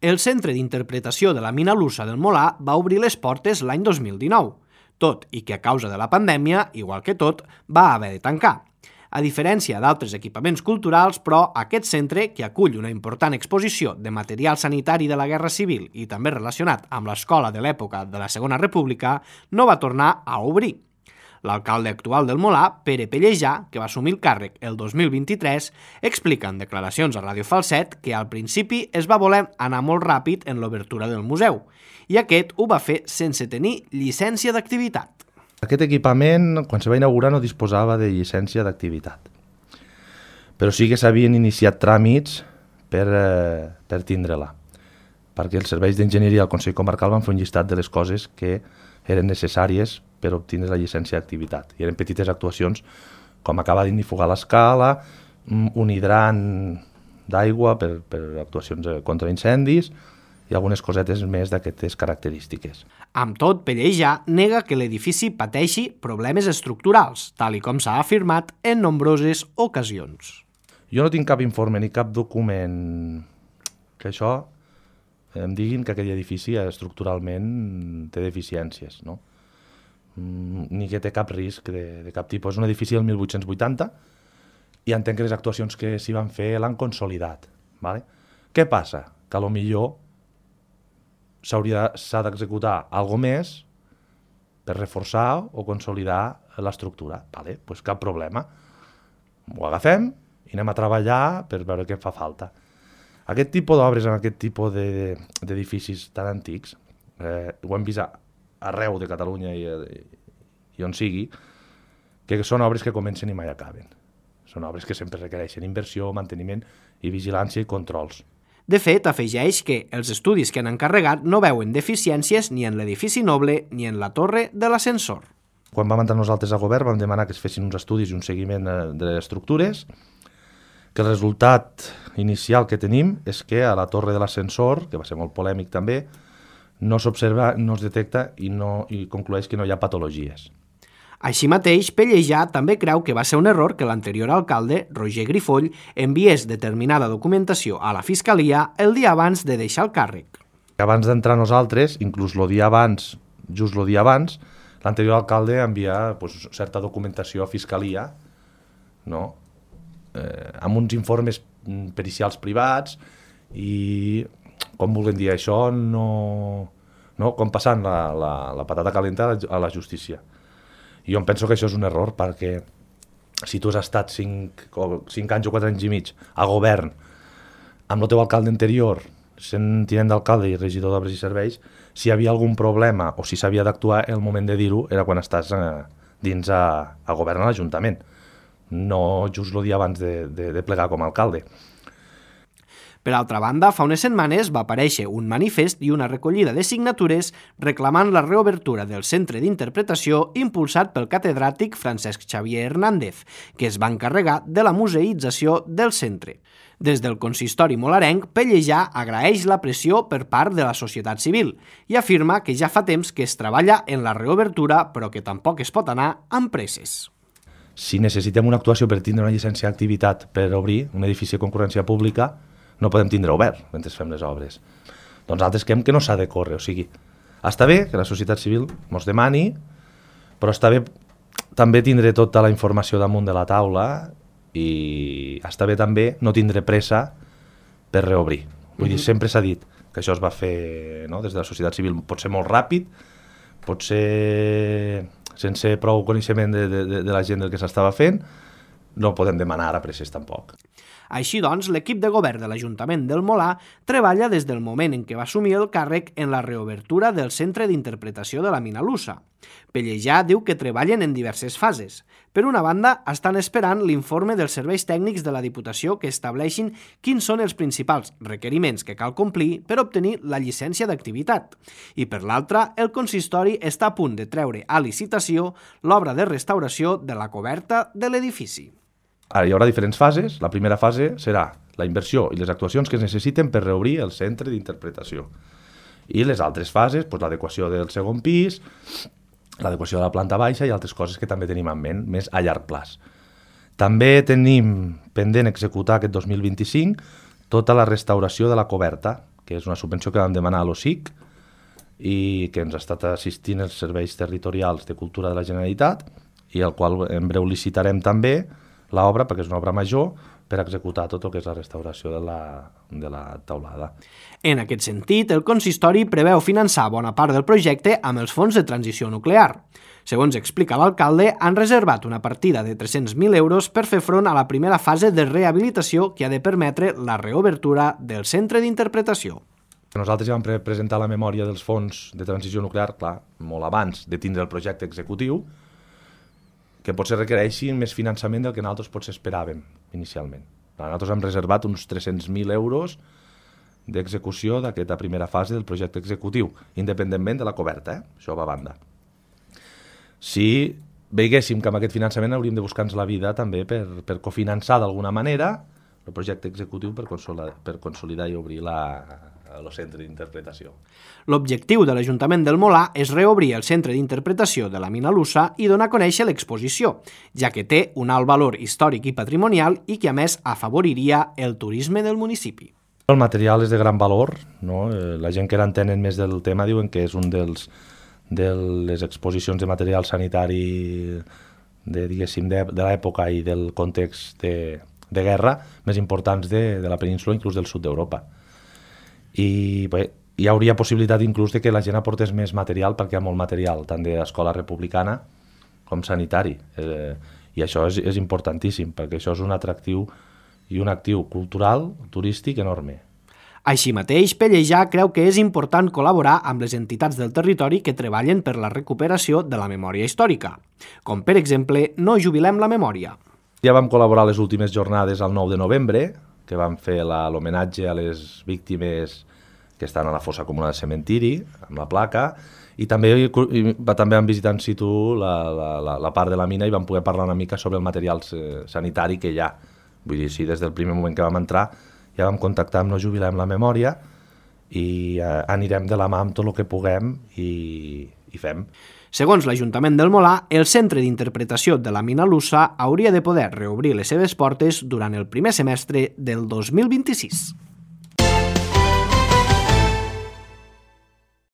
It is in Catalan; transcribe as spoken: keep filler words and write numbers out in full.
El Centre d'Interpretació de la Mina Lusa del Molar va obrir les portes l'any dos mil dinou, tot i que a causa de la pandèmia, igual que tot, va haver de tancar. A diferència d'altres equipaments culturals, però, aquest centre, que acull una important exposició de material sanitari de la Guerra Civil i també relacionat amb l'escola de l'època de la Segona República, no va tornar a obrir. L'alcalde actual del Molar, Pere Pellejà, que va assumir el càrrec el dos mil vint-i-tres, explica en declaracions a Ràdio Falset que al principi es va voler anar molt ràpid en l'obertura del museu, i aquest ho va fer sense tenir llicència d'activitat. Aquest equipament, quan se va inaugurar, no disposava de llicència d'activitat, però sí que s'havien iniciat tràmits per, eh, per tindre-la, perquè els serveis d'enginyeria del Consell Comarcal van fer un llistat de les coses que eren necessàries per obtenir la llicència d'activitat. I eren petites actuacions com acabar d'indifugar l'escala, un hidrant d'aigua per, per actuacions contra incendis i algunes cosetes més d'aquestes característiques. Amb tot, Pellejà nega que l'edifici pateixi problemes estructurals, tal i com s'ha afirmat en nombroses ocasions. Jo no tinc cap informe ni cap document que això em diguin que aquell edifici estructuralment té deficiències, no? Ni que té cap risc de, de cap tipus. És un edifici del mil vuit-cents vuitanta i entenc que les actuacions que s'hi van fer l'han consolidat. Vale? Què passa? Que potser s'ha d'executar alguna més per reforçar o consolidar l'estructura. Vale? Pues cap problema. Ho agafem i anem a treballar per veure què fa falta. Aquest tipus d'obres en aquest tipus d'edificis tan antics, eh, ho hem vist arreu de Catalunya i, i on sigui, que són obres que comencen i mai acaben. Són obres que sempre requereixen inversió, manteniment i vigilància i controls. De fet, afegeix que els estudis que han encarregat no veuen deficiències ni en l'edifici noble ni en la torre de l'ascensor. Quan vam entrar nosaltres al govern vam demanar que es fessin uns estudis i un seguiment de les estructures, que el resultat inicial que tenim és que a la torre de l'ascensor, que va ser molt polèmic també, no s'observa, no es detecta i, no, i conclueix que no hi ha patologies. Així mateix, Pellejà també creu que va ser un error que l'anterior alcalde, Roger Grifoll, enviés determinada documentació a la Fiscalia el dia abans de deixar el càrrec. Abans d'entrar nosaltres, inclús el dia abans, just el dia abans, l'anterior alcalde envia pues, certa documentació a Fiscalia, no? eh, amb uns informes pericials privats i, com vulguem dir això, no, no? com passant la, la, la patata calenta a la justícia. I jo em penso que això és un error, perquè si tu has estat cinc, cinc anys o quatre anys i mig a govern amb el teu alcalde anterior, sent tinent d'alcalde i regidor d'obres i serveis, si hi havia algun problema o si s'havia d'actuar, el moment de dir-ho era quan estàs eh, dins a, a govern a l'Ajuntament, no just el dia abans de, de, de plegar com a alcalde. Per altra banda, fa unes setmanes va aparèixer un manifest i una recollida de signatures reclamant la reobertura del centre d'interpretació impulsat pel catedràtic Francesc Xavier Hernández, que es va encarregar de la museïtzació del centre. Des del consistori molarenc, Pellejà agraeix la pressió per part de la societat civil i afirma que ja fa temps que es treballa en la reobertura, però que tampoc es pot anar amb presses. Si necessitem una actuació per tindre una llicència d'activitat per obrir un edifici de concurrència pública, no podem tindre obert mentre fem les obres. Doncs altres creiem que no s'ha de córrer, o sigui, està bé que la societat civil ens demani, però està bé també tindre tota la informació damunt de la taula i està bé també no tindre pressa per reobrir. Vull dir, sempre s'ha dit que això es va fer, no, des de la societat civil, pot ser molt ràpid, pot ser sense prou coneixement de, de, de la gent del que s'estava fent, no podem demanar ara presses tampoc. Així doncs, l'equip de govern de l'Ajuntament del Molar treballa des del moment en què va assumir el càrrec en la reobertura del Centre d'Interpretació de la Mina Lusa. Pellejà diu que treballen en diverses fases. Per una banda, estan esperant l'informe dels serveis tècnics de la Diputació que estableixin quins són els principals requeriments que cal complir per obtenir la llicència d'activitat. I per l'altra, el consistori està a punt de treure a licitació l'obra de restauració de la coberta de l'edifici. Ara hi haurà diferents fases. La primera fase serà la inversió i les actuacions que es necessiten per reobrir el centre d'interpretació. I les altres fases, doncs, l'adequació del segon pis, l'adequació de la planta baixa i altres coses que també tenim en ment, més a llarg plaç. També tenim pendent executar aquest dos mil vint-i-cinc tota la restauració de la coberta, que és una subvenció que vam demanar a l'O S I C i que ens ha estat assistint els serveis territorials de cultura de la Generalitat i el qual en breu licitarem també l'obra, perquè és una obra major, per executar tot el que és la restauració de la, de la teulada. En aquest sentit, el consistori preveu finançar bona part del projecte amb els fons de transició nuclear. Segons explica l'alcalde, han reservat una partida de tres-cents mil euros per fer front a la primera fase de rehabilitació que ha de permetre la reobertura del centre d'interpretació. Nosaltres ja vam pre presentar la memòria dels fons de transició nuclear, clar, molt abans de tindre el projecte executiu, que potser requereixi més finançament del que nosaltres potser esperàvem inicialment. Nosaltres hem reservat uns tres-cents mil euros d'execució d'aquesta primera fase del projecte executiu, independentment de la coberta, eh? Això va a banda. Si veiéssim que amb aquest finançament hauríem de buscar-nos la vida també per, per cofinançar d'alguna manera el projecte executiu per consolidar, per consolidar i obrir la, el centre d'interpretació. L'objectiu de l'Ajuntament del Molar és reobrir el centre d'interpretació de la Mina Lusa i donar a conèixer l'exposició, ja que té un alt valor històric i patrimonial i que a més afavoriria el turisme del municipi. El material és de gran valor, no? La gent que entenen més del tema diuen que és un dels de les exposicions de material sanitari de, diguéssim, de, de l'època i del context de, de guerra més importants de, de la península, inclús del sud d'Europa. I bé, hi hauria possibilitat inclús de que la gent aportés més material, perquè hi ha molt material, tant d'escola republicana com sanitari. Eh, I això és, és importantíssim, perquè això és un atractiu i un actiu cultural, turístic enorme. Així mateix, Pellejà creu que és important col·laborar amb les entitats del territori que treballen per la recuperació de la memòria històrica, com per exemple No jubilem la memòria. Ja vam col·laborar a les últimes jornades al nou de novembre, que vam fer l'homenatge a les víctimes que estan a la fossa comuna del cementiri, amb la placa, i també, i, també vam visitar in situ la, la, la part de la mina i vam poder parlar una mica sobre el material sanitari que hi ha. Vull dir, sí, des del primer moment que vam entrar ja vam contactar amb No jubilem la memòria i eh, anirem de la mà amb tot el que puguem i, i fem. Segons l'Ajuntament del Molar, el centre d'interpretació de la Mina Lusa hauria de poder reobrir les seves portes durant el primer semestre del dos mil vint-i-sis.